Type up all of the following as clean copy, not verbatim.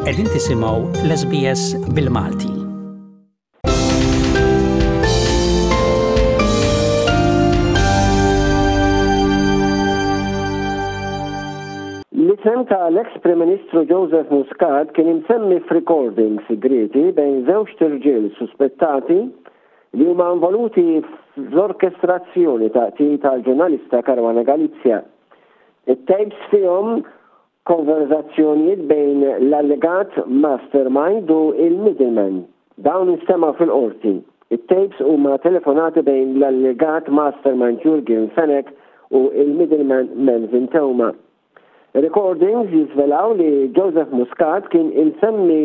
Qegħdin tisimgħu l-SBS bil-Malti. L-isem ta' l-eks Prim Ministru Joseph Muscat kien imsemmi f'recording sigrieti bejn żewġt irġiel suspettati li huma involuti fl-orkestrazzjoni ta' qtil tal-ġurnalista Caruana Galizia. It-tapes fihom konverżazzjonijiet bejn l-allegat mastermind u l-middleman. Dawn instemgħu fil-Qorti. It-tapes huma telefonati bejn l-allegat mastermind Jurgen Fenech u l-middleman Melvin Theuma. Ir-recordings jiżvelaw li Joseph Muscat kien imsemmi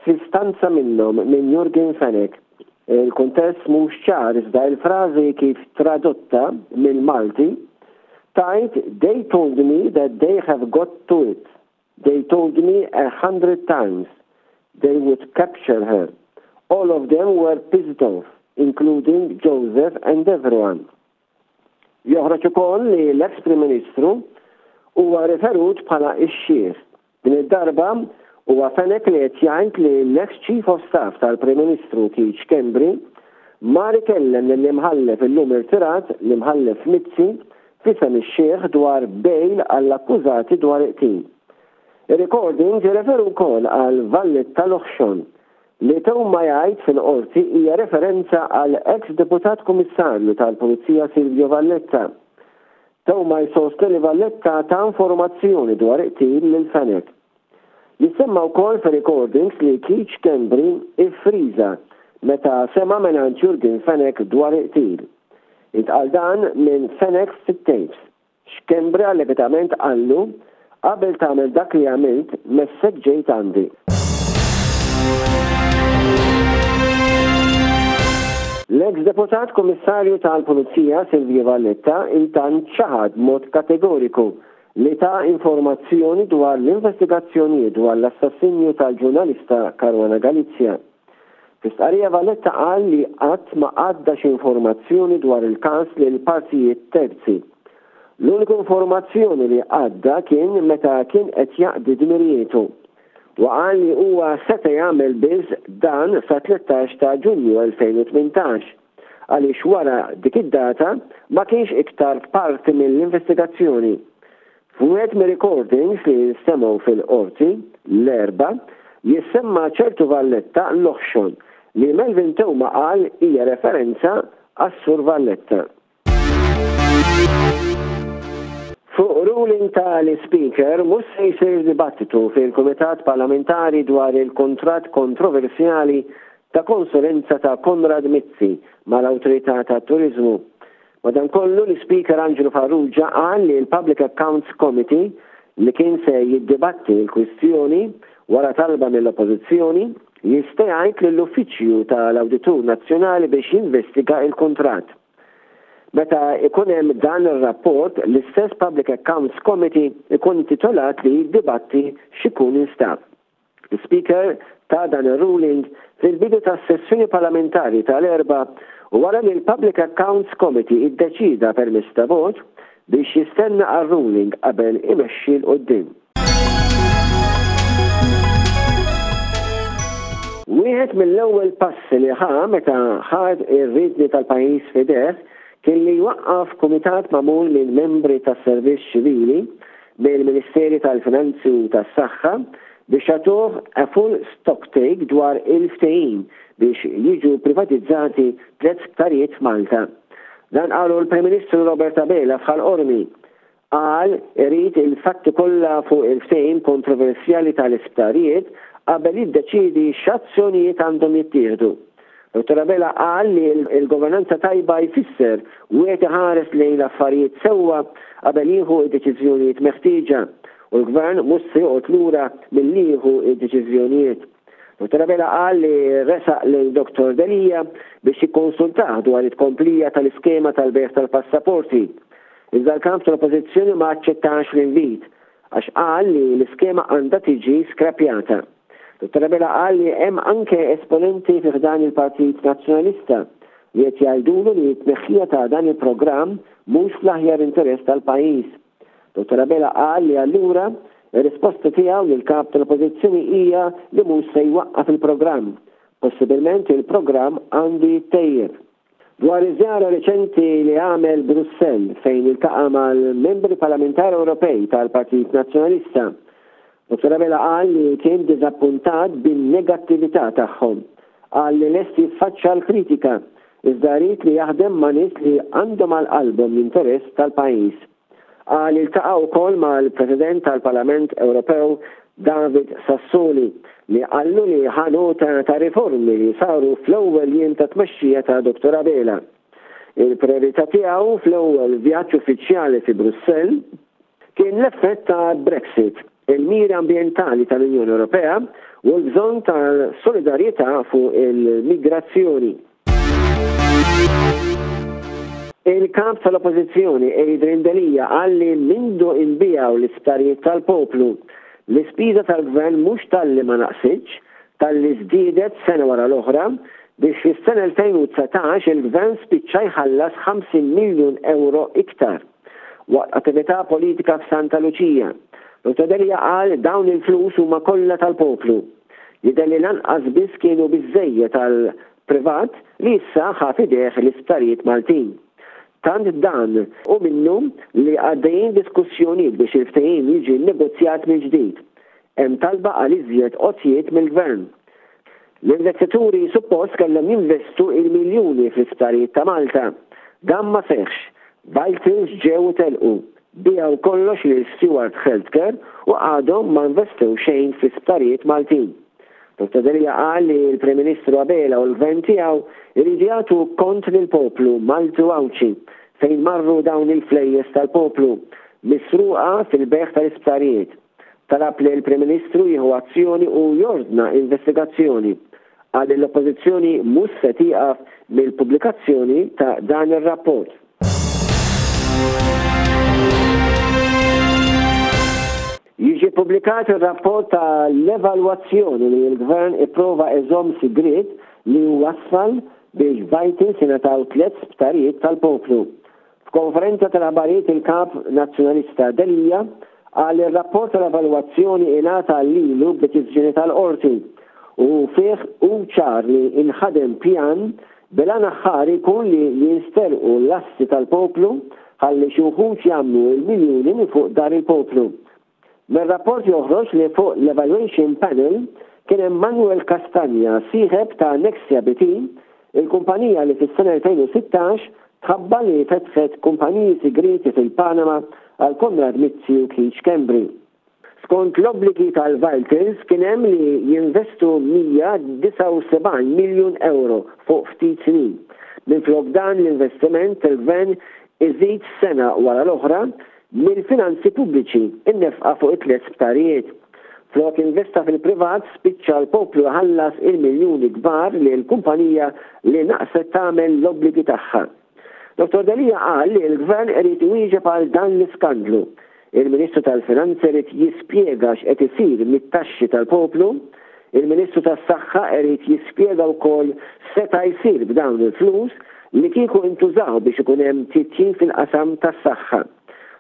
f'istanza minnhom minn Jurgen Fenech. Il-kuntest mhux ċar iżda il-frażi kif tradotta mill-Malti tgħid they told me that they have got to it. They told me a hundred times they would capture her. All of them were pissed off, including Joseph and everyone. Joħroġ ukoll li l-eks Prim Ministru huwa riferut bħala x-xiħ. Din id-darba huwa Fenech li qed jgħid li l-eks Chief of Staff tal-Prim Ministru Keith Schembri mar ikellem lill-Imħallef illum irtirat, l-Imħallef Mizzi, f'isem ix-xiħ dwar bail għall-akkużati dwar il-qtil. Ir-recordings jirreferu wkoll għal Valletta Loħxon Li Theuma jgħid fil-Qorti hija referenza għal eks Deputat Kummissarju tal-Pulizija Silvio Valletta. Theuma jsostni li Valletta ta informazzjoni dwar il-qtil lil Fenech. Jissemma wkoll fir-recordings li Keith Schembri iffriża meta sema' mingħand Jurgen Fenech dwar il-qtil. Intqal dan minn Fenech fit-tapes. Schembri allegatament qallu, Qabel tagħmel dak li għamilt, messek ġejt għandi. L-eks Deputat Kummissarju tal-Pulizija Silvio Valletta intant ċaħad b'mod kategoriku li ta informazzjoni dwar l-investigazzjonijiet dwar l-assassinju tal-ġurnalista Caruana Galizia. Fi stqarrija Valletta qal li qatt ma għadda xi informazzjoni dwar il-każ lil partijiet terzi. L-uniku informazzjoni li għadda kien meta kien qed jaqdi dmirijietu. Huwa qal li huwa seta' jagħmel biss dan sa 13 ta' Ġunju 2018 għaliex wara dik id-data ma kienx iktar parti mill-investigazzjoni. F'wieħed mir-recordings li nstemgħu fil-Qorti, l-Erbgħa, jissemma ċertu Valletta l-oħxon, li Melvin Theuma qal hija referenza għas-Sur Valletta. Fuq ruling ta' l-Ispeaker mhux se jsir dibattitu fil-Kumitat Parlamentari dwar il-kuntratt kontroversjali ta' konsulenza ta' Konrad Mizzi mal-Awtorità tat-Turiżmu. Madankollu, l-Ispeaker Anġlu Farrugia qal li l-Public Accounts Committee, li kien se jiddibatti l-kwistjoni wara talba mill-Oppożizzjoni, jista' jgħid lill-Uffiċċju tal-Awditur Nazzjonali biex jinvestiga l-kuntratt. Meta jkun hemm dan ir-rapport, l-istess Public Accounts Committee jkun intitolat li jiddibatti x'ikun instab. L-Ispeaker ta dan ir-ruling fil-bidu tas-sessjoni parlamentari tal-Erbgħa wara li l-Public Accounts Committee iddeċieda permezz ta' vot biex jistenna għar-ruling qabel imexxi 'l quddiem. Wieħed mill-ewwel passi li ħa meta ħa r-riedni tal-pajjiż f'idejh kien li jwaqqaf kumitat magħmul minn membri tas-servizz ċivili mill-Ministeri tal-Finanzi u tas-Saħħa biex jagħtuh a full stocktake dwar il-ftehim biex jiġu privatizzati tlett sptarijiet f'Malta. Dan qalu l-Prim Ministru Robert Abela f'Ħal Qormi. Qal irid il-fatti kollha fuq il-ftehim kontroversjali tal-isptarijiet qabel jiddeċiedi x'azzjonijiet għandhom jittieħdu. Dottor Abela qal li l-governanza tajba jfisser wieħed iħares lejn l-affarijiet sewwa qabel jieħu d-deċiżjonijiet meħtieġa u l-Gvern mhux se joqgħod lura milli jieħu d-deċiżjonijiet. Dottor Abela qal li resaq lejn Dottor Delia biex jikkonsultah dwar it-tkomplija tal-iskema tal-bejgħ tal-passaporti. Iżda l-Kap tal-Oppożizzjoni ma aċċettax l-invit għax qal li l-iskema għandha tiġi skrappjata. Dottor Abela qal li hemm anke esponenti fi ħdan il-Partit Nazzjonalista li qed jgħidulu li t-tneħħija ta' dan il-programm mhux fl-aħjar interess tal-pajjiż. Dottor Abela qal li allura Ir-risposta tiegħu lill-Kap tal-Oppożizzjoni hija li mhux se jwaqqaf il-programm. Possibilment il-programm għandu jittejjeb. Dwar iż-żjara reċenti li għamel Brussell fejn iltaqa' mal-Membri Parlamentari Ewropej tal-Partit Nazzjonalista, Dottor Abela qal li kien diżappuntat bin-negattività tagħhom. Qal li lest jiffaċċja l-kritika, iżda jrid li jaħdem ma' nies li għandhom għal qalbhom l-interess tal-pajjiż. Qal li ltaqa' wkoll mal-President tal-Parlament Ewropew David Sassoli li qallu li ħa nota ta' riformi li saru fl-ewwel jiem ta' tmexxija ta' Dottor Abela. Il-prijorità tiegħu fl-ewwel vjaġġ uffiċjali fi Brussell kien l-effett ta' Brexit, il-miri ambjentali tal-Unjoni Ewropea u l-bżonn ta' solidarjetà fuq il-migrazzjoni. Il-Kap tal-Oppożizzjoni Adrian Delia qal li mindu inbiegħu l-isptarijiet tal-poplu, l-ispiża tal-Gvern mhux talli ma naqsitx, talli żdiedet sena wara l-oħra biex fis-sena 2019 il-Gvern spiċċa jħallas 50 miljun ewro iktar. Waqt attività politika f'Santa Luċija, Dottor Delia qal dawn il-flus huma kollha tal-poplu. Jidher li lanqas biss kienu biżżejjed għal privat li issa ħa f'idejh l-isptarijiet Maltin. Tant dan hu minnu li għaddejjin diskussjonijiet biex il-ftehim jiġi nnegozjat mill-ġdid. Hemm talba għal iżjed għotjiet mill-Gvern. L-investituri suppost kellhom jinvestu il-miljuni fl-isptarijiet ta' Malta. Dan ma seħħx. Vitals ġew u telqu. Biegħu kollox lil Steward Healthcare u għadhom ma investew xejn fl-isptarijiet Maltin. Dottor Delia qal li l-Prim Ministru Abela u l-Gvern tiegħu jridu jagħtu kont lill-poplu Malti u Għawdxi fejn marru dawn il-flejjes tal-poplu misruqa fil-bejgħ tal-isptarijiet. Talab lill-Prim Ministru jieħu azzjoni u jordna investigazzjoni. Qal li l-Oppożizzjoni mhux se tieqaf mill-pubblikazzjoni ta' dan ir-rapport. Jiġi ppubblikat ir-rapport ta' l-evalwazzjoni li l-Gvern ipprova iżomm sigriet li wassal biex Vitals ingħataw tlett sptarijiet tal-poplu. F'konferenza tal-aħbarijiet il-Kap Nazzjonalista Delia qal li r-rapport tal-evalwazzjoni ingħata lilu b'deċiżjoni tal-Qorti u fih hu ċar li inħadem pjan bil-għan aħħari jkun li jinsterqu l-assi tal-poplu ħalli xi wħud jagħmlu l-miljuni minn fuq dar il-poplu. Mir-rapport joħroġ li fuq l-evaluation panel kien hemm Manuel Castagna, sieħeb ta' Nexia BT, il-kumpanija li fis-sena 2016 tħabbar li fetħet kumpaniji sigrieti fil-Panama għal Konrad Mizzi u Keith Schembri. Skont l-obbligi tal-Vitals kien hemm li jinvestu 179 miljun ewro fuq ftit snin. Minflok dan l-investiment il-Gvern iżid sena wara l-oħra Mill-finanzi pubbliċi, in-nefqa fuq it-tlett sptarijiet. Flok investa fil-privat spiċċa l-poplu jħallas il-miljuni kbar lil kumpanija li naqset tagħmel l-obbligi tagħha. Dottor Delia qal li l-Gvern irid iwieġeb għal dan l-iskandlu. Il-Ministru tal-Finanzi irid jispjega x'qed isir mit-taxxi tal-poplu. Il-Ministru tas-Saħħa irid jispjega wkoll x'seta' jsir b'dawn il-flus li kieku intużaw biex ikun hemm titjib fil-qasam tas-saħħa.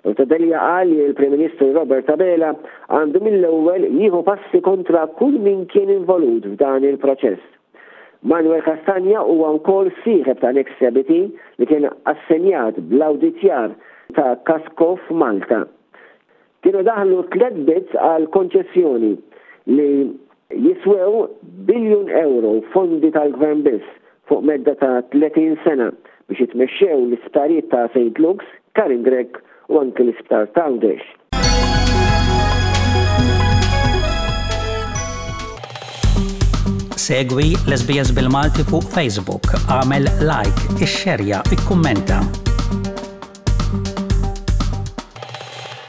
Dottor Delia qal li l-Prim Ministru Robert Abela għandu mill-ewwel jieħu passi kontra kull min kien involut f'dan il-proċess. Manuel Castagna huwa wkoll sieħeb ta' Nexia BT li kien assenjat bl-awditjar ta' Kasco f'Malta. Kienu daħlu tlett bids għal konċessjoni li jiswew biljun ewro fondi tal-Gvern biss fuq medda ta' 30 sena biex jitmexxew l-isptarijiet ta' St Luke's, Karin Grech u anki l-Isptar t'Għawdex. Segwi l-SBS bil-Malti fuq Facebook, għamel like, ixxerja, ikkummenta.